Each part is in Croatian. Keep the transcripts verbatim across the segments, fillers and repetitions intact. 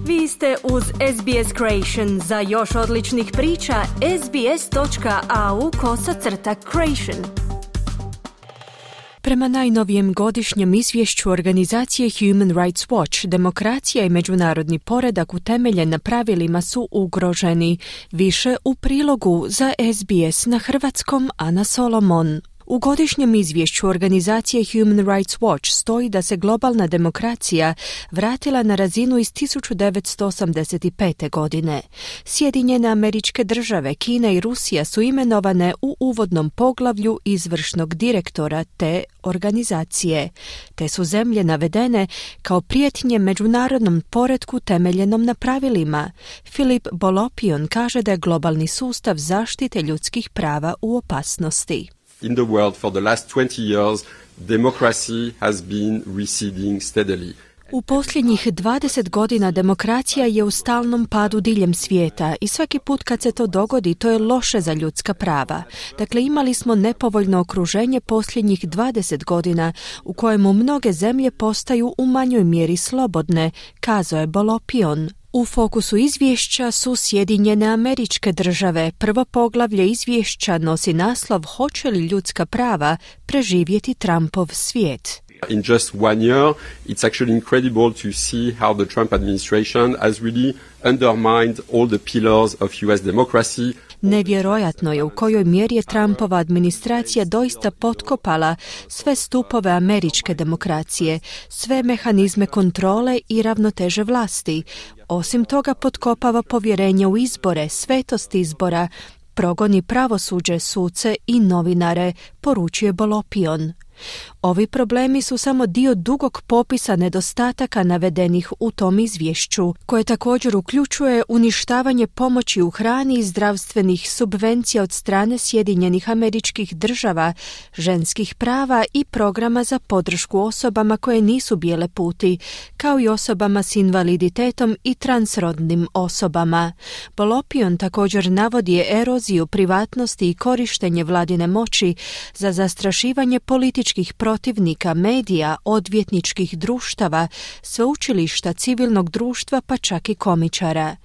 Vi ste uz S B S Creation. Za još odličnih priča, sbs.au kosacrta creation. Prema najnovijem godišnjem izvješću organizacije Human Rights Watch, demokracija i međunarodni poredak utemeljen na pravilima su ugroženi. Više u prilogu za S B S na hrvatskom, Ana Solomon. U godišnjem izvješću organizacije Human Rights Watch stoji da se globalna demokracija vratila na razinu iz tisuću devetsto osamdeset pete. godine. Sjedinjene Američke Države, Kina i Rusija su imenovane u uvodnom poglavlju izvršnog direktora te organizacije. Te su zemlje navedene kao prijetnje međunarodnom poretku temeljenom na pravilima. Filip Bolopion kaže da je globalni sustav zaštite ljudskih prava u opasnosti. In the world for the last twenty years, democracy has been receding steadily. U posljednjih dvadeset godina demokracija je u stalnom padu diljem svijeta i svaki put kad se to dogodi, to je loše za ljudska prava. Dakle, imali smo nepovoljno okruženje posljednjih dvadeset godina u kojemu mnoge zemlje postaju u manjoj mjeri slobodne, kazao je Bolopion. U fokusu izvješća su Sjedinjene Američke Države. Prvo poglavlje izvješća nosi naslov Hoće li ljudska prava preživjeti Trumpov svijet? In just one year, it's actually incredible to see how the Trump administration has really undermined all the pillars of U S democracy. Nevjerojatno je u kojoj mjeri je Trumpova administracija doista potkopala sve stupove američke demokracije, sve mehanizme kontrole i ravnoteže vlasti. Osim toga potkopava povjerenje u izbore, svetost izbora, progoni pravosuđe, suce i novinare, poručuje Bolopion. Ovi problemi su samo dio dugog popisa nedostataka navedenih u tom izvješću, koje također uključuje uništavanje pomoći u hrani i zdravstvenih subvencija od strane Sjedinjenih Američkih Država, ženskih prava i programa za podršku osobama koje nisu bijele puti, kao i osobama s invaliditetom i transrodnim osobama. Bolopion također navodi eroziju privatnosti i korištenje vladine moći za zastrašivanje političkih protivnika, medija, odvjetničkih društava, sveučilišta, civilnog društva pa čak i komičara.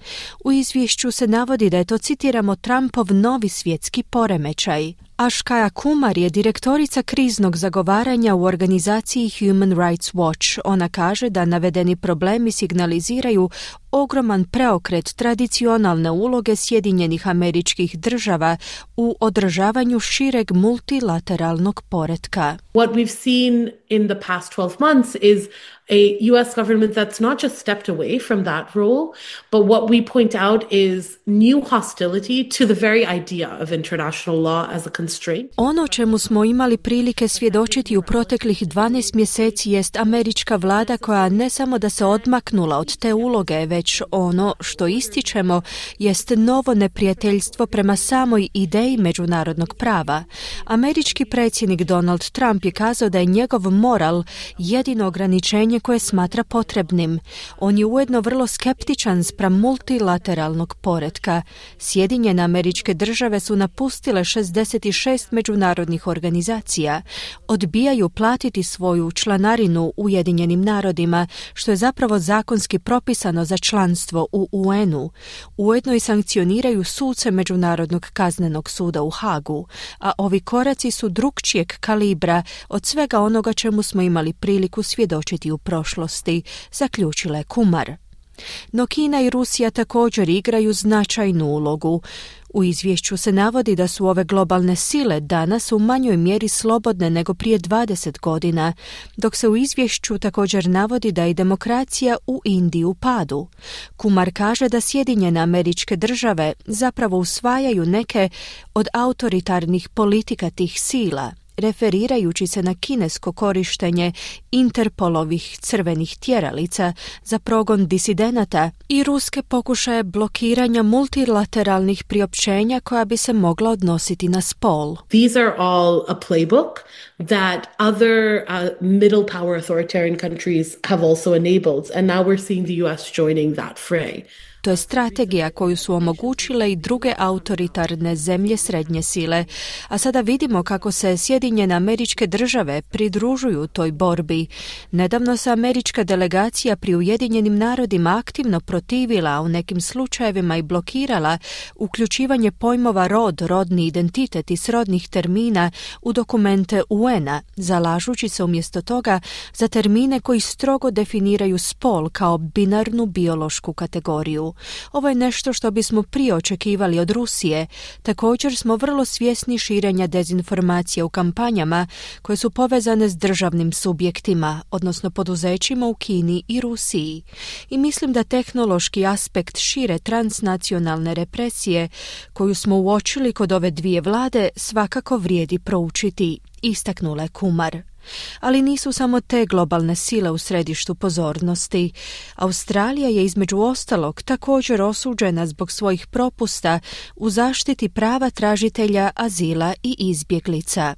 U izvješću se navodi da je to, citiramo, Trumpov novi svjetski poremećaj. Ashkaya Kumar je direktorica kriznog zagovaranja u organizaciji Human Rights Watch. Ona kaže da navedeni problemi signaliziraju ogroman preokret tradicionalne uloge Sjedinjenih Američkih Država u održavanju šireg multilateralnog poretka. What we've seen in the past twelve months is a U S government that's not just stepped away from that role, but what we point out is new hostility to the very idea of international law as a constraint. Ono čemu smo imali prilike svjedočiti u proteklih dvanaest mjeseci jest američka vlada koja ne samo da se odmaknula od te uloge, već ono što ističemo jest novo neprijateljstvo prema samoj ideji međunarodnog prava. Američki predsjednik Donald Trump je kazao da je njegov moral jedino ograničenje koje smatra potrebnim. On je ujedno vrlo skeptičan spram multilateralnog poretka. Sjedinjene Američke Države su napustile šezdeset šest međunarodnih organizacija. Odbijaju platiti svoju članarinu Ujedinjenim narodima, što je zapravo zakonski propisano za članstvo u U N-u. Ujedno i sankcioniraju suce Međunarodnog kaznenog suda u Hagu, a ovi koraci su drukčijeg kalibra od svega onoga čemu smo imali priliku svjedočiti u prošlosti, zaključila je Kumar. No Kina i Rusija također igraju značajnu ulogu. U izvješću se navodi da su ove globalne sile danas u manjoj mjeri slobodne nego prije dvadeset godina, dok se u izvješću također navodi da je demokracija u Indiji u padu. Kumar kaže da Sjedinjene Američke Države zapravo usvajaju neke od autoritarnih politika tih sila, referirajući se na kinesko korištenje Interpolovih crvenih tjeralica za progon disidenata i ruske pokušaje blokiranja multilateralnih priopćenja koja bi se mogla odnositi na spol. These are all a playbook that other uh, middle power authoritarian countries have also enabled, and now we're seeing the U S joining that fray. To je strategija koju su omogućile i druge autoritarne zemlje srednje sile, a sada vidimo kako se Sjedinjene Sjedinjene Američke Države pridružuju toj borbi. Nedavno se američka delegacija pri Ujedinjenim narodima aktivno protivila, u nekim slučajevima i blokirala uključivanje pojmova rod, rodni identitet i srodnih termina u dokumente U N-a, zalažući se umjesto toga za termine koji strogo definiraju spol kao binarnu biološku kategoriju. Ovo je nešto što bismo prije očekivali od Rusije. Također smo vrlo svjesni širenja dezinformacija u kampanjama koje su povezane s državnim subjektima, odnosno poduzećima u Kini i Rusiji. I mislim da tehnološki aspekt šire transnacionalne represije koju smo uočili kod ove dvije vlade svakako vrijedi proučiti, istaknula je Kumar. Ali nisu samo te globalne sile u središtu pozornosti. Australija je između ostalog također osuđena zbog svojih propusta u zaštiti prava tražitelja azila i izbjeglica.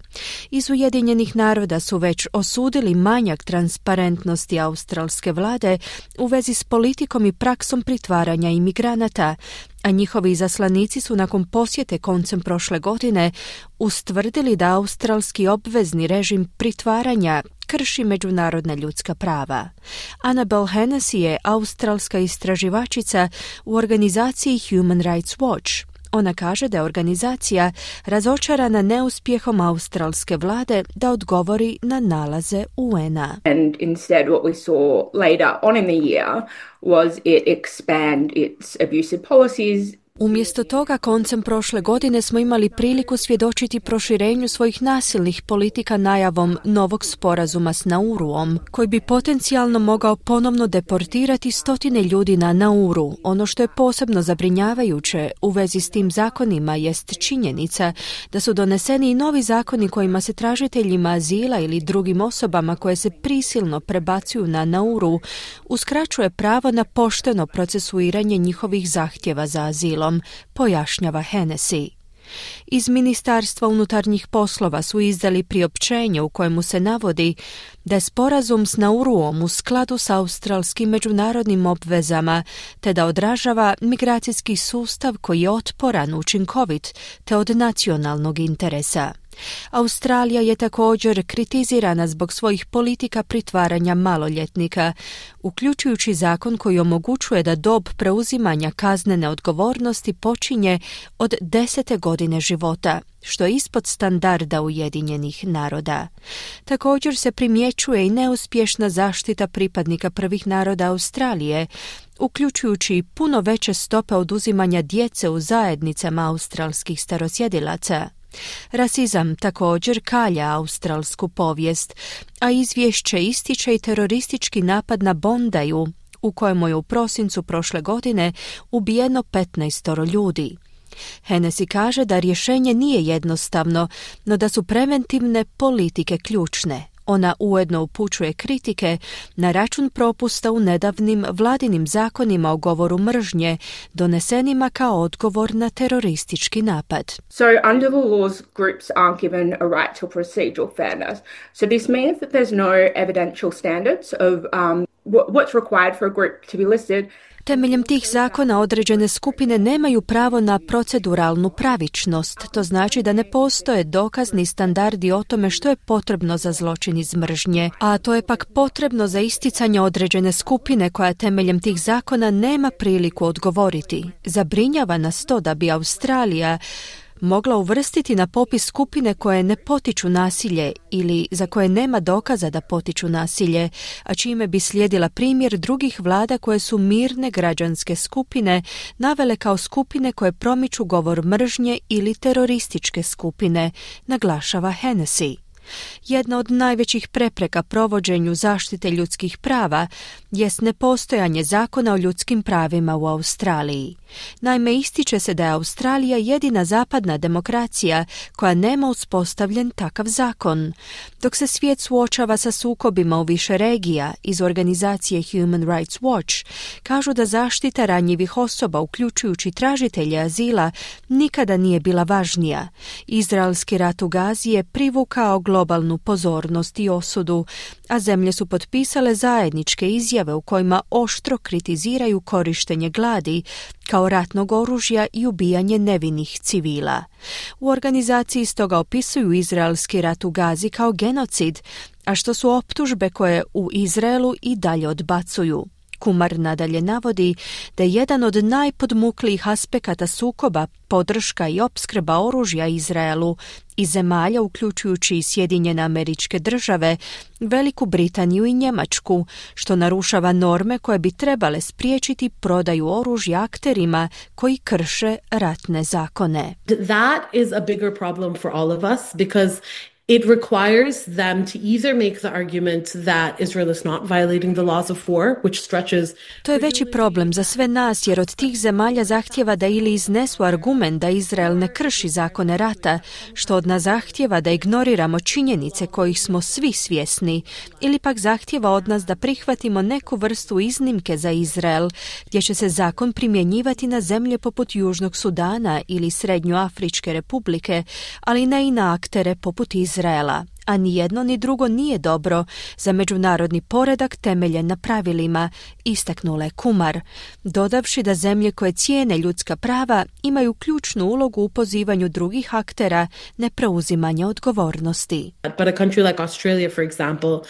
Iz Ujedinjenih naroda su već osudili manjak transparentnosti australske vlade u vezi s politikom i praksom pritvaranja imigranata, a njihovi izaslanici su nakon posjete koncem prošle godine ustvrdili da australski obvezni režim pritvaranja krši međunarodna ljudska prava. Annabel Hennessy je australska istraživačica u organizaciji Human Rights Watch. Ona kaže da je organizacija razočarana neuspjehom australske vlade da odgovori na nalaze U N-a. And instead what we saw later on in the year was it expand its abusive policies. Umjesto toga, koncem prošle godine smo imali priliku svjedočiti proširenju svojih nasilnih politika najavom novog sporazuma s Nauruom, koji bi potencijalno mogao ponovno deportirati stotine ljudi na Nauru. Ono što je posebno zabrinjavajuće u vezi s tim zakonima jest činjenica da su doneseni i novi zakoni kojima se tražiteljima azila ili drugim osobama koje se prisilno prebacuju na Nauru uskraćuje pravo na pošteno procesuiranje njihovih zahtjeva za azilom, pojašnjava Hennessy. Iz Ministarstva unutarnjih poslova su izdali priopćenje u kojemu se navodi da je sporazum s Nauruom u skladu s australskim međunarodnim obvezama te da odražava migracijski sustav koji je otporan, učinkovit te od nacionalnog interesa. Australija je također kritizirana zbog svojih politika pritvaranja maloljetnika, uključujući zakon koji omogućuje da dob preuzimanja kaznene odgovornosti počinje od desete godine života, što je ispod standarda Ujedinjenih naroda. Također se primjećuje i neuspješna zaštita pripadnika prvih naroda Australije, uključujući i puno veće stope oduzimanja djece u zajednicama australskih starosjedilaca. Rasizam također kalja australsku povijest, a izvješće ističe i teroristički napad na Bondaju, u kojemu je u prosincu prošle godine ubijeno petnaestoro ljudi. Hennessy kaže da rješenje nije jednostavno, no da su preventivne politike ključne. Ona ujedno upućuje kritike na račun propusta u nedavnim vladinim zakonima o govoru mržnje, donesenima kao odgovor na teroristički napad. So under the laws, groups aren't given a right to procedural fairness. So this means that there's no evidential standards of um, what's required for a group to be listed. Temeljem tih zakona određene skupine nemaju pravo na proceduralnu pravičnost. To znači da ne postoje dokazni standardi o tome što je potrebno za zločin iz mržnje, a to je pak potrebno za isticanje određene skupine koja temeljem tih zakona nema priliku odgovoriti. Zabrinjava nas to da bi Australija mogla uvrstiti na popis skupine koje ne potiču nasilje ili za koje nema dokaza da potiču nasilje, a čime bi slijedila primjer drugih vlada koje su mirne građanske skupine navele kao skupine koje promiču govor mržnje ili terorističke skupine, naglašava Hennessy. Jedna od najvećih prepreka provođenju zaštite ljudskih prava jest nepostojanje zakona o ljudskim pravima u Australiji. Naime, ističe se da je Australija jedina zapadna demokracija koja nema uspostavljen takav zakon. Dok se svijet suočava sa sukobima u više regija, iz organizacije Human Rights Watch kažu da zaštita ranjivih osoba, uključujući tražitelje azila, nikada nije bila važnija. Izraelski rat u Gazi je privukao globalno globalnu pozornost i osudu, a zemlje su potpisale zajedničke izjave u kojima oštro kritiziraju korištenje gladi kao ratnog oružja i ubijanje nevinih civila. U organizaciji stoga opisuju izraelski rat u Gazi kao genocid, a što su optužbe koje u Izraelu i dalje odbacuju. Kumar nadalje navodi da je jedan od najpodmuklijih aspekata sukoba podrška i opskrba oružja Izraelu i zemalja, uključujući i Sjedinjene Američke Države, Veliku Britaniju i Njemačku, što narušava norme koje bi trebale spriječiti prodaju oružja akterima koji krše ratne zakone. That is a bigger problem for all of us because it requires them to either make the argument that Israel is not violating the laws of war, which stretches... To je veći problem za sve nas, jer od tih zemalja zahtjeva da ili iznesu argument da Izrael ne krši zakone rata, što od nas zahtjeva da ignoriramo činjenice kojih smo svi svjesni, ili pak zahtjeva od nas da prihvatimo neku vrstu iznimke za Izrael, gdje će se zakon primjenjivati na zemlje poput Južnog Sudana ili Srednjoafričke republike, ali ne i na aktere poput Izraela. Izraela, a ni jedno ni drugo nije dobro za međunarodni poredak temeljen na pravilima, istaknula je Kumar, dodavši da zemlje koje cijene ljudska prava imaju ključnu ulogu u pozivanju drugih aktera na preuzimanje odgovornosti. But a country like Australia, for example, uh,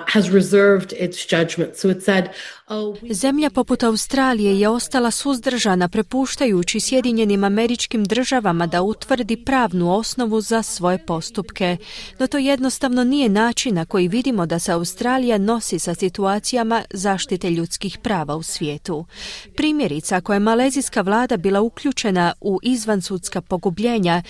has reserved its judgment. So it said, oh, we... Zemlja poput Australije je ostala suzdržana, prepuštajući Sjedinjenim Američkim Državama da utvrdi pravnu osnovu za svoje postupke. No to jednostavno nije način na koji vidimo da se Australija nosi sa situacijama zaštite ljudskih prava u svijetu. Primjerice, ako je malezijska vlada bila uključena u izvansudska pogubljenja,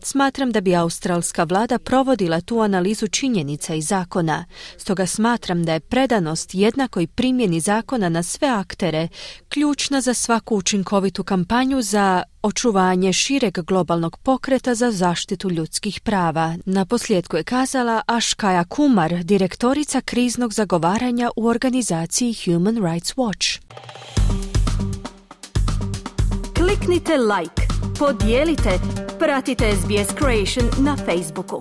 smatram da bi australska vlada provodila tu analizu činjenica i zakona. Stoga smatram da je predanost jednakoj primjeni zakona na sve aktere ključna za svaku učinkovitu kampanju za očuvanje šireg globalnog pokreta za zaštitu ljudskih prava. Na posljedku je kazala Ashkaya Kumar, direktorica kriznog zagovaranja u organizaciji Human Rights Watch. Kliknite like, podijelite, pratite S B S Creation na Facebooku.